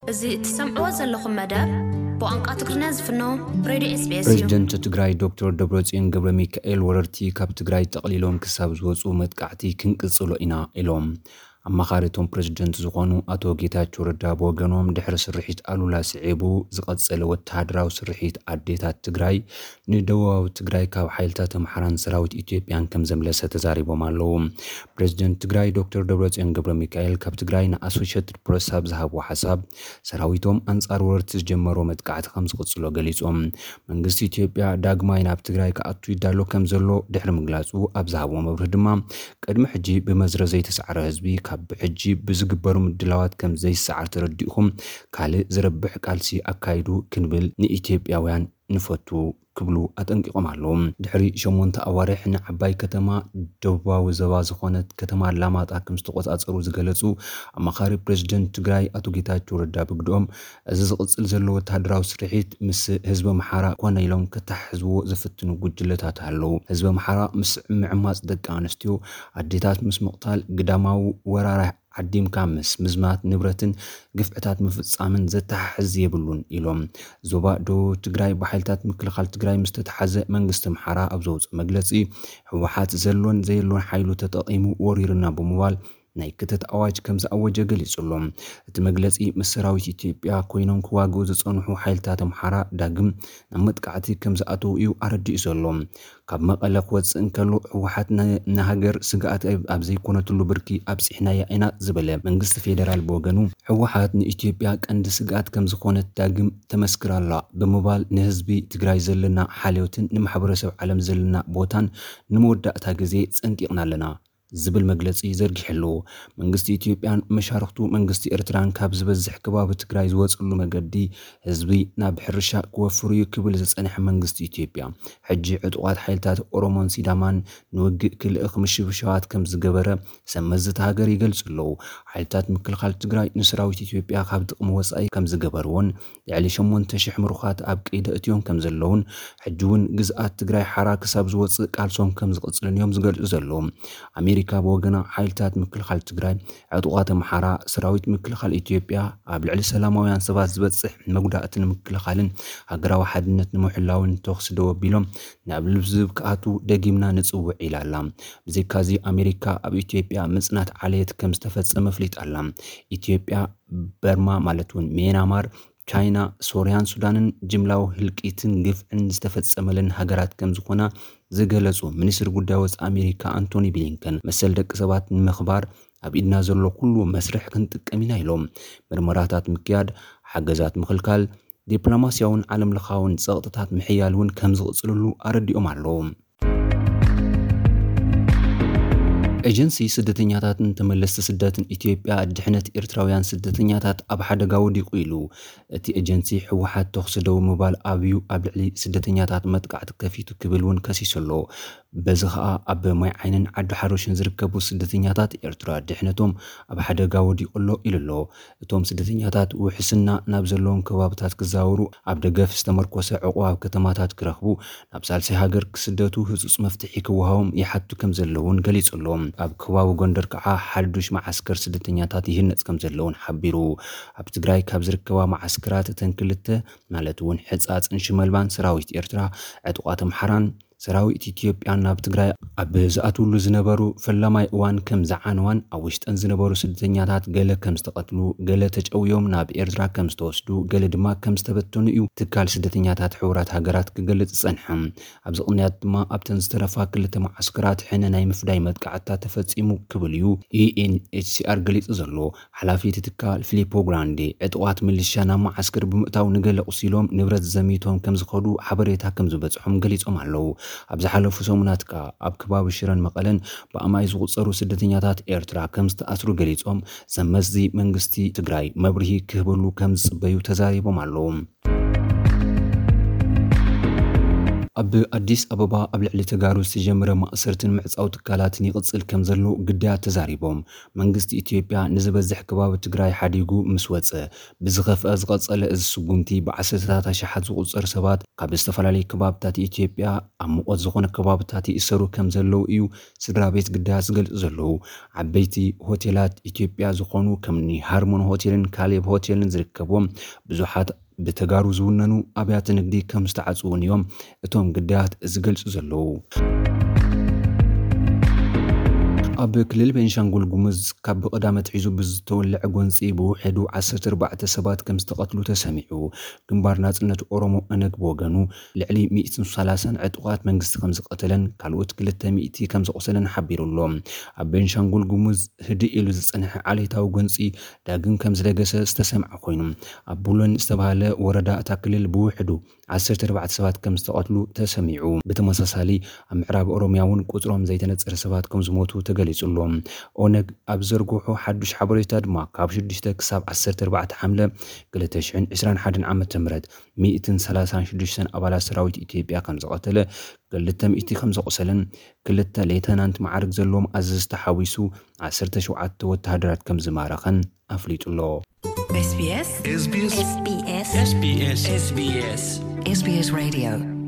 እዚ እትሰምዕዎ ዘለኹም መደብ ብቋንቋ ትግርኛ ዝፍኖ ሬድዮ ኤስቢኤስ እዩ። ፕሬዚደንት ትግራይ ዶክተር ደብረጽዮን ገብረ ሚካኤል፣ ወረርቲ ካብ ትግራይ ጠቕሊሎም ክሳብ ዝወፁ መጥቃዕቲ ክንቅፅሎ ኢና ኢሎም። ኣማኻሪ እቶም ፕሬዚደንት ዝኾኑ ኣቶ ጌታቸው ረዳ ብወገኖም፣ ድሕሪ ስርሒት ኣሉላ ስዒቡ ዝቐጸለ ወተሃደራዊ ስርሒት ኣዴታት ትግራይ ንደቡባዊ ትግራይ ካብ ሓይልታት ኣምሓራን ሰራዊት ኢትዮጵያን ከም ዘምለሰ ተዛሪቦም ኣለዉ። ፕሬዚደንት ትግራይ ዶክተር ደብረጽዮን ገብረ ሚካኤል ካብ ትግራይ ንኣሶሼትድ ፕረስ ኣብ ዝሃብዎ ሓሳብ፣ ሰራዊቶም ኣንጻር ወረርቲ ዝጀመሮ መጥቃዕቲ ከም ዝቕጽሎ ገሊጾም። መንግስቲ ኢትዮጵያ ዳግማይ ናብ ትግራይ ክኣቱ ይዳሎ ከም ዘሎ ድሕሪ ምግላጹ፣ ኣብ ዝሃብዎ መብርሂ ድማ፣ ቅድሚ ሕጂ ብመዝረ ዘይተሳዕረ ህዝቢ ካብ ሕጂ ብዝግበሩ ምድላዋት ከም ዘይሰዓር ተረዲእኹም፣ ካልእ ዝረብሕ ቃልሲ ኣካይዱ ክንብል ንኢትዮጵያውያን ንፈቱ ክብሉ ኣጠንቂቖም ኣለዉ። ድሕሪ ሸሞንተ ኣዋርሕ ንዓባይ ከተማ ደቡባዊ ዞባ ዝኾነት ከተማ ኣላማጣ ከም ዝተቆጻጸሩ ዝገለጹ ኣማኻሪ ፕሬዚደንት ትግራይ ኣቶ ጌታቸው ረዳ ብግድኦም፣ እዚ ዝቕጽል ዘሎ ወተሃደራዊ ስርሒት ምስ ህዝቢ ኣምሓራ ኮነ ኢሎም ከተሓሕዝዎ ዝፍትኑ ጉጅለታት ኣለዉ። ህዝቢ ኣምሓራ ምስ ምዕማጽ ደቂ ኣንስትዮ፣ ኣዴታት ምስ ምቕታል፣ ግዳማዊ ወራር ዓዲምካ ምስ ምዝማት ንብረትን ግፍዕታት ምፍጻምን ዘተሓሕዝ የብሉን ኢሎም። ዞባ ደቡብ ትግራይ ብሓይልታት ምክልኻል ትግራይ ምስ ተተሓዘ፣ መንግስቲ ኣምሓራ ኣብ ዘውፅኦ መግለፂ፣ ህወሓት ዘሎን ዘየሎን ሓይሉ ተጠቒሙ ወሪሩና ብምባል ናይ ክተት ኣዋጅ ከም ዝኣወጀ ገሊጹ ኣሎ። እቲ መግለጺ፣ ምስ ሰራዊት ኢትዮጵያ ኮይኖም ክዋግኡ ዝጸንሑ ሓይልታት ኣምሓራ ዳግም ናብ መጥቃዕቲ ከም ዝኣተዉ እዩ ኣረዲኡ ዘሎ። ካብ መቐለ ክወጽእ እንከሎ፣ ህወሓት ን-፣ ንሃገር ስግኣት ኣብ፣ ኣብ ዘይኮነትሉ ብርኪ ኣብጺሕናያ ኢና ዝበለ መንግስቲ ፌደራል ብወገኑ፣ ህወሓት ንኢትዮጵያ ቀንዲ ስግኣት ከም ዝኾነት ዳግም ተመስክር ኣላ ብምባል፣ ንህዝቢ ትግራይ ዘለና ሓልዮትን ንማሕበረሰብ ዓለም ዘለና ቦታን ንመወዳእታ ግዜ ጸንቂቕና ኣለና ዝብል መግለጺ ዘርጊሑ ኣሎ። መንግስቲ ኢትዮጵያን መሻርኽቱ መንግስቲ ኤርትራን ካብ ዝበዝሕ ከባቢ ትግራይ ዝወጽሉ መገዲ ህዝቢ ናብ ሕርሻ ክወፍር እዩ ክብል ዝጸንሐ መንግስቲ ኢትዮጵያ፣ ሕጂ ዕጡቓት ሓይልታት ኦሮሞን ሲዳማን ንውግእ ክልእኽ ምሽብሻባት ከም ዝገበረ ሰብ መዚ እታ ሃገር ይገልጹ ኣለዉ። ሓይልታት ምክልኻል ትግራይ ንሰራዊት ኢትዮጵያ ካብ ጥቕሚ ወጻኢ ከም ዝገበርዎን፣ ልዕሊ ሸሞንተ ሽሕ ምሩኻት ኣብ ቀይዲ ኣእትዮም ከም ዘለዉን፣ ሕጂ እውን ግዝኣት ትግራይ ሓራ ክሳብ ዝወጽእ ቃልሶም ከም ዝቕጽልን እዮም ዝገልጹ ዘለዉ። ኣሜሪካ ብወገና፣ ሓይልታት ምክልኻል ትግራይ፣ ዕጡቓት ኣምሓራ፣ ሰራዊት ምክልኻል ኢትዮጵያ ኣብ ልዕሊ ሰላማውያን ሰባት ዝበጽሕ መጉዳእቲ ንምክልኻልን ሃገራዊ ሓድነት ንምሕላውን ተኹሲ ደው ኣቢሎም ናብ ልዝብ ክኣትዉ ደጊምና ንጽውዕ ኢላ ኣላ። ብዘይካዚ፣ ኣሜሪካ ኣብ ኢትዮጵያ ምጽናት ዓሌት ከም ዝተፈጸመ ኣፍሊጣ ኣላ። ኢትዮጵያ፣ በርማ ማለት እውን ሜናማር፣ ቻይና፣ ሶርያን ሱዳንን ጅምላዊ ህልቂትን ግፍዕን ዝተፈጸመለን ሃገራት ከም ዝኾና ዝገለጹ ሚኒስትሪ ጉዳይ ወጻኢ ኣሜሪካ ኣንቶኒ ብሊንከን፣ መሰል ደቂ ሰባት ንምኽባር ኣብ ኢድና ዘሎ ኩሉ መስርሕ ክንጥቀም ኢና ኢሎም። ምርመራታት ምክያድ፣ ሓገዛት ምኽልካል፣ ዲፕሎማስያውን ዓለም ለኻውን ጸቕጥታት ምሕያል እውን ከም ዝቕጽልሉ ኣረዲኦም ኣለዉ። ኤጀንሲ ስደተኛታትን ተመለስቲ ስደትን ኢትዮጵያ፣ ድሕነት ኤርትራውያን ስደተኛታት ኣብ ሓደጋ ወዲቑ ኢሉ። እቲ ኤጀንሲ፣ ህወሓት ተኹሲ ደው ምባል ኣብዩ ኣብ ልዕሊ ስደተኛታት መጥቃዕቲ ከፊቱ ክብል እውን ከሲሱ ኣሎ። በዚ ኸኣ ኣብ ማይ ዓይንን ዓዲ ሓሮሽን ዝርከቡ ስደተኛታት ኤርትራ ድሕነቶም ኣብ ሓደጋ ወዲቑ ኣሎ ኢሉ ኣሎ። እቶም ስደተኛታት ውሕስና ናብ ዘለዎም ከባብታት ክዛወሩ፣ ኣብ ደገፍ ዝተመርኮሰ ዕቑብ ኣብ ከተማታት ክረኽቡ፣ ናብ ሳልሳይ ሃገር ክስደቱ ህጹጽ መፍትሒ ክወሃቦም ይሓቱ ከም ዘለውን ገሊጹ ኣሎ። ኣብ ከባቢ ጎንደር ከዓ ሓዱሽ መዓስከር ስደተኛታት ይህነጽ ከም ዘለውን ሓቢሩ። ኣብ ትግራይ ካብ ዝርከባ መዓስከራት እተን ክልተ፣ ማለት እውን ሕጻጽን ሽመልባን፣ ሰራዊት ኤርትራ ዕጡቓት ኣምሓራን ሰራዊት ኢትዮጵያን ናብ ትግራይ ኣብ ዝኣትውሉ ዝነበሩ ፈለማይ እዋን ከም ዝዓነዋን፣ ኣብ ውሽጠን ዝነበሩ ስደተኛታት ገለ ከም ዝተቐትሉ፣ ገለ ተጨውዮም ናብ ኤርትራ ከም ዝተወስዱ፣ ገለ ድማ ከም ዝተበተኑ እዩ ትካል ስደተኛታት ሕቡራት ሃገራት ክገልጽ ዝጸንሐ። ኣብዚ ቅንያት ድማ ኣብተን ዝተረፋ ክልተ መዓስከራት ሕነ ናይ ምፍዳይ መጥቃዕትታት ተፈጺሙ ክብል እዩ ዩ ኤን ኤች ሲ ኣር ገሊጹ ዘሎ። ሓላፊ እቲ ትካል ፊሊፖ ግራንዴ፣ ዕጡቓት ሚሊሻ ናብ መዓስከር ብምእታው ንገለ ቁሲሎም ንብረት ዘሚቶም ከም ዝኸዱ ሓበሬታ ከም ዝበጽሖም ገሊጾም ኣለዉ። ኣብ ዝሓለፉ ሰሙናት ከኣ ኣብ ከባቢ ሽረን መቐለን ብኣማይ ዝቑጸሩ ስደተኛታት ኤርትራ ከም ዝተኣስሩ ገሊጾም፣ ሰብ መዚ መንግስቲ ትግራይ መብርሂ ክህበሉ ከም ዝጽበዩ ተዛሪቦም ኣለዉ። ኣብ ኣዲስ ኣበባ ኣብ ልዕሊ ተጋሩ ዝተጀመረ ማእሰርትን ምዕጻው ትካላትን ይቕጽል ከም ዘሎ ግዳያት ተዛሪቦም። መንግስቲ ኢትዮጵያ ንዝበዝሕ ከባቢ ትግራይ ሓዲጉ ምስ ወጸ፣ ብዝኸፍአ ዝቐጸለ እዚ ስጉምቲ ብዓሰርተታት ኣሽሓት ዝቑጸር ሰባት ካብ ዝተፈላለዩ ከባብታት ኢትዮጵያ ኣብ ሙቐት ዝኾነ ከባብታት ይእሰሩ ከም ዘለዉ እዩ ስድራ ቤት ግዳያት ዝገልጹ ዘለዉ። ዓበይቲ ሆቴላት ኢትዮጵያ ዝኾኑ ከምኒ ሃርሞን ሆቴልን ካሌብ ሆቴልን ዝርከብዎም ብዙሓት ብተጋሩ ዝውነኑ ኣብያተ ንግዲ ከም ዝተዓጽዉን እዮም እቶም ግዳያት ዝገልጹ ዘለዉ። ኣብ ክልል ቤንሻንጉል ጉሙዝ ካብ ብቐዳመ ኣትሒዙ ብዝተወልዐ ጎንፂ ብውሕዱ ዓሰርተ ኣርባዕተ ሰባት ከም ዝተቐትሉ ተሰሚዑ። ግንባር ናጽነት ኦሮሞ፣ ኦነግ፣ ብወገኑ ልዕሊ ሚእትን ሰላሳን ዕጡቓት መንግስቲ ከም ዝቐተለን ካልኦት ክልተ ሚእቲ ከም ዘቑሰለን ሓቢሩ ኣሎ። ኣብ ቤንሻንጉል ጉሙዝ ህድእ ኢሉ ዝጸንሐ ዓሌታዊ ጎንፂ ዳግም ከም ዝደገሰ ዝተሰምዐ ኮይኑ፣ ኣብ ቡለን ዝተባህለ ወረዳ እታ ክልል ብውሕዱ ዓሰርተ ኣርባዕተ ሰባት ከም ዝተቐትሉ ተሰሚዑ። ብተመሳሳሊ ኣብ ምዕራብ ኦሮሚያ እውን ቁጽሮም ዘይተነጸረ ሰባት ከም ዝሞቱ ተገሊጹ ኣሎ። ኦነግ ኣብ ዘርግሖ ሓዱሽ ሓበሬታ ድማ ካብ ሽዱሽተ ክሳብ ዓሰርተ ኣርባዕተ ሓምለ ክልተ ሽሕን ዕስራን ሓደን ዓመተ ምህረት ሚእትን ሰላሳን ሽዱሽተን ኣባላት ሰራዊት ኢትዮጵያ ከም ዝቐተለ፣ ክልተ ሚእቲ ከም ዘቑሰለን ክልተ ሌተናንት መዓርግ ዘለዎም ኣዘዝቲ ሓዊሱ ዓሰርተ ሸውዓተ ወተሃደራት ከም ዝማረኸን ኣፍሊጡ ኣሎ። SBS SBS SBS SBS SBS SBS Radio